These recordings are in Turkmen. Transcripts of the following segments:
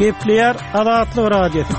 Gepleýär Azatlyk Radiosy.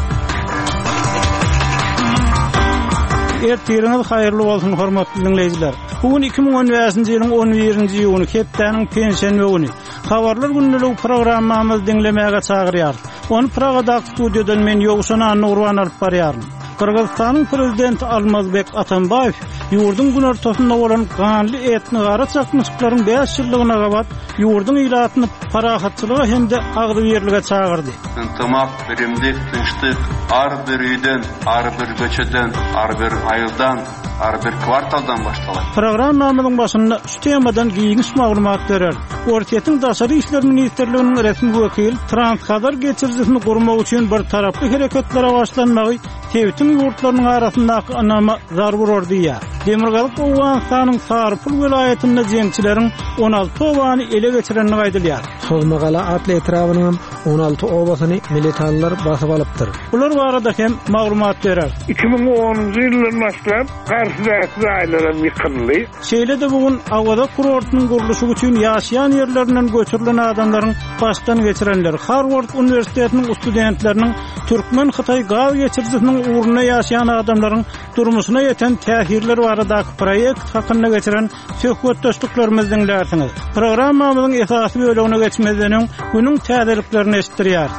Ertiriňiz haýyrly bolsun, hormatly diňleýjiler. Bu gün 2015-nji ýylyň 11-nji iýuny, hepdäniň penşenbe güni. Habarlar gündeligi programmamyzy diňlemäge çagyrýarys. Ony Pragadaky studiýadan men Ýowşan Annagurban alyp barýaryn. Gyrgyzystanyň prezidenti Almazbek Atambaýew ýurduň günortasynda bolan ganly etnigara çaknyşyklaryň bäş ýyllygyna gabat ýurduň ilatyny parahatçylyga hem-de agzybirlige çagyrdy. Yntymak, birimlik, tynçlyk ar bir öýden, ar bir köçeden, ar bir aýyldan, ar bir kwartaldan başlalar. Programmamyzyň başynda şu temadan giňiş maglumat bereris. Orsýetiň Daşary işler ministrliginiň resmi wekili Transhazar geçirijisini gurmak üçin bir taraply hereketlere başlanmagy sebitiň ýurtlarynyň arasyndaky ynama zarba urar diýýär. Demirgazyk Owganystanyň Sarypul welaýatynda jeňçileriň 16 obany ele geçirendigi aýdylýar. Sozmagala atly etrabynyňam 16 obasyny militanlar basyp alypdyr. Bular barada hem maglumat bereris. 2010-njy ýyldan başlap garşydaky jaýlaram ýykyldy. Şeýle-de bu gün Awaza kurortynyň gurluşygy üçin ýaşaýan ýerlerinden göçürilen adamlaryň başdan geçirenleri, Harward uniwersitetiniň studentleriniň türkmen-hytaý gaz geçirijisiniň ugrunda ýaşaýan adamlaryň durmuşyna ýeten täsirler baradaky proýekt hakynda geçiren söhbetdeşliklerimizi diňlärsiňiz. Programmamyzyň esasy bölegine geçmezden öň, günüň täzeliklerini eşitdirýäris.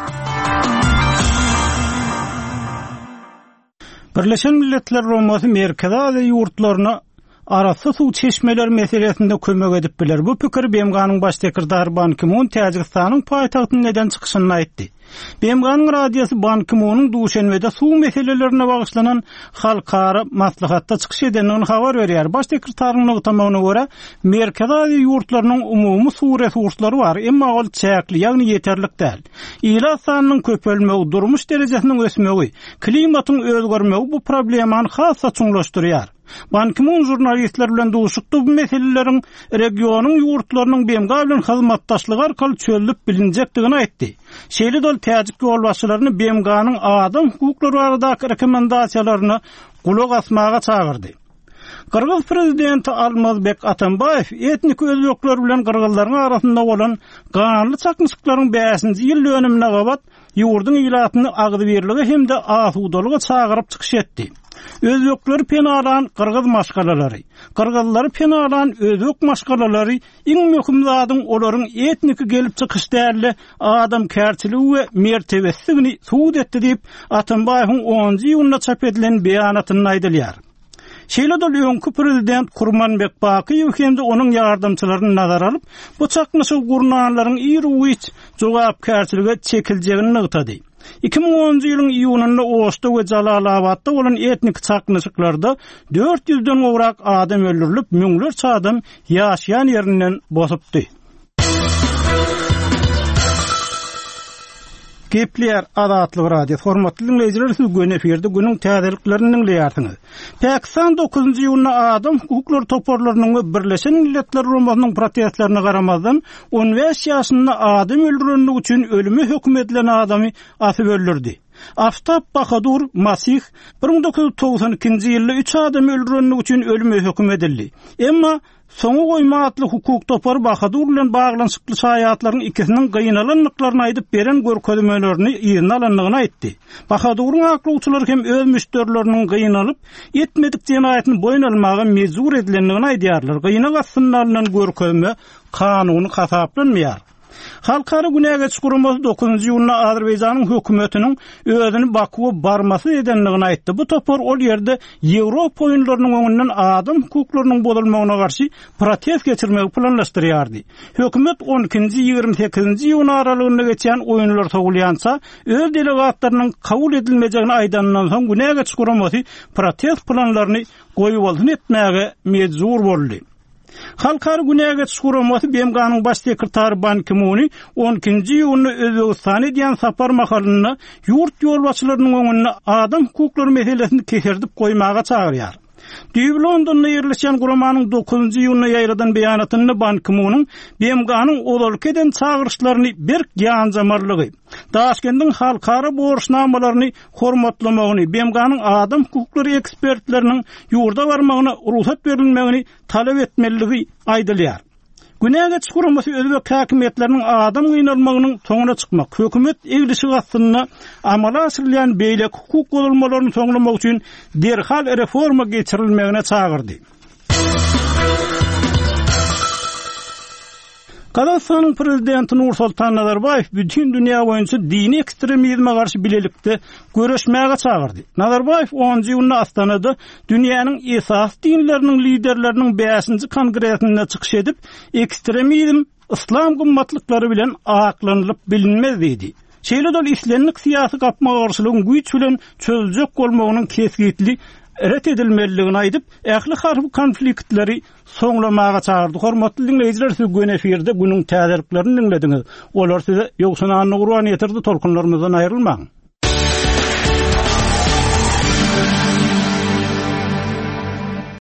Birleşen Milletler Guramasy Merkezi Aziýa ýurtlaryna arassa suw çeşmeleri meselesinde kömek edip biler. Bu pikiri BMG-niň Baş sekretary Ban Ki-mun Täjigistanyň paýtagtynda eden çykyşynda aýtdy. BMG-niň radiosy Ban Ki-munyň Duşenbede suw meselelerine bagyşlanan halkara maslahatda çykyş edendigini habar berýär. Baş sekretaryň nygtamagyna görä, Merkezi Aziýa ýurtlarynyň umumy suw resurslary bar, emma ol çäkli, ýagny ýeterlik däl. Ilat sanynyň köpelmegi, durmuş derejesiniň ösmegi, klimatyň özgermegi bu problemany has-da çuňlaşdyrýar. Ban Ki-mun žurnalistler bilen duşuşykda bu meseleleriň regionyň ýurtlarynyň BMG bilen hyzmatdaşlygy arkaly çözlüp bilinjekdigini aýtdy. Şeýle-de ol täjik ýolbaşçylaryny BMG-niň adam hukuklary baradaky rekomendasiýalaryna gulak asmaga çagyrdy. Gyrgyz prezidenti Almazbek Atambaýew etniki özbekler bilen gyrgyzlaryň arasynda bolan ganly çaknyşyklaryň bäşinji ýyl dönümine gabat ýurduň ilatyny agzybirlige hem-de asudalyga çagyryp çykyş etdi. Özbekleri penalan gyrgyz maşgalalary, gyrgyzlary penalan özbek maşgalalary iň möhüm zadyň olaryň etniki gelip çykyş däl-de, adamkärçiligi we mertebesidigini subut etdi diýip, Atambaýewiň onunjy iýunda çap edilen beýanatynda aýdylýar. Şeýle-de ol öňki prezident Kurmanbek Bakyýew hem-de onuň ýardamçylaryny nazara alyp, bu çaknyşygy gurnanlaryň iru-giç jogapkärçilige çekiljegini nygtady. 2010-njy ýylyň iýunynda Oşda we Jalalabatda bolan etnik çaknyşyklarda dört ýüzden gowrak adam öldürilip, müňlerçe adam ýaşaýan ýerinden bosupdy. Gepleýär Azatlyk Radiosy. Hormatly diňleýjiler, siz göni efirde günüň täzeliklerini diňleýärsiňiz. Pakistan 9-njy iýunda adam hukuklary toparlarynyň we Birleşen Milletler Guramasynyň protestlerine garamazdan, 15 ýaşynda adam öldürenligi üçin ölüme höküm edilen adamy asyp öldürdi. Aftab Bahadur Masih 1992-nji ýylda üç adamy öldürenligi üçin ölüme höküm edildi. Emma Soňa goýma atly hukuk topary Bahadur bilen baglanyşykly şaýatlaryň ikisiniň gynalandyklaryny aýdyp beren görkezmelerini yzyna alandygyny aýtdy. Bahaduryň aklawçylary hem öz müşderileriniň gynalyp, etmedik jenaýatyny boýun almaga mejbur edilendigini aýdýarlar. Gynag astynda alnan görkezme kanuny hasaplanmaýar. Halkara günä geçiş guramasy dokuzynjy iýunda Azerbaýjanyň hökümetiniň özüni Bakuwa barmasyz edendigini aýtdy. Bu topar ol ýerde Ýewropa oýunlarynyň öňünden adam hukuklarynyň bozulmagyna garşy protest geçirmegi planlaşdyrýardy. Hökümet on ikinji, 28-nji iýun aralygynda geçýän oýunlar sowulýança öz delegatlarynyň kabul edilmejegini aýdanyndan soň günä geçiş guramasy protest planlaryny goýbolsun etmäge mejbur boldy. Halkara günä geçiş guramasy BMG-niň Baş sekretary Ban Ki-muny on ikinji iýunda Özbegistana edýän sapar mahalynda ýurt ýolbaşçylarynyň öňünde adam hukuklary meselesini keserdip goýmaga çagyrýar. Düýbi Londonda ýerleşýän guramanyň dokuzynjy iýunda ýaýradan beýanatynda Ban Ki-munyň BMG-niň ozalky eden çagyryşlaryny berk ýanjamalygy, Daşkendiň halkara borçnamalaryny hormatlamagyny, BMG-niň adam hukuklary ekspertleriniň ýurda barmagyna rugsat berilmegini talap etmelidigi aýdylýar. Günä geçiş guramasy özbek häkimiýetleriniň adam gynalmagynyň soňuna çykmak, hökümet eglişigi astynda amala aşyrylýan beýleki hukuk bozulmalaryny soňlamak üçin derhal reforma geçirilmegine çagyrdy. Gazagystanyň prezidenti Nursoltan Nazarbaýew bütin dünýä boýunça dini ekstremizme garşy bilelikde göreşmäge çagyrdy. Nazarbaýew onunjy iýunda Astanada dünýäniň esasy dinleriniň liderleriniň bäşinji kongresinde çykyş edip, ekstremizm yslam gymmatlyklary bilen aklanylyp bilinmez diýdi. Şeýle-de ol islendik syýasy gapma-garşylygyň güýç bilen çözüljek bolmagynyň kesgitli ret edilmelidigini aýdyp, ähli harby konfliktleri soňlamaga çagyrdy. Hormatly diňleýjiler, siz göni efirde günüň täzeliklerini diňlediňiz. Olary size Ýowşan Annagurban ýetirdi, tolkunlarymyzdan aýrylmaň.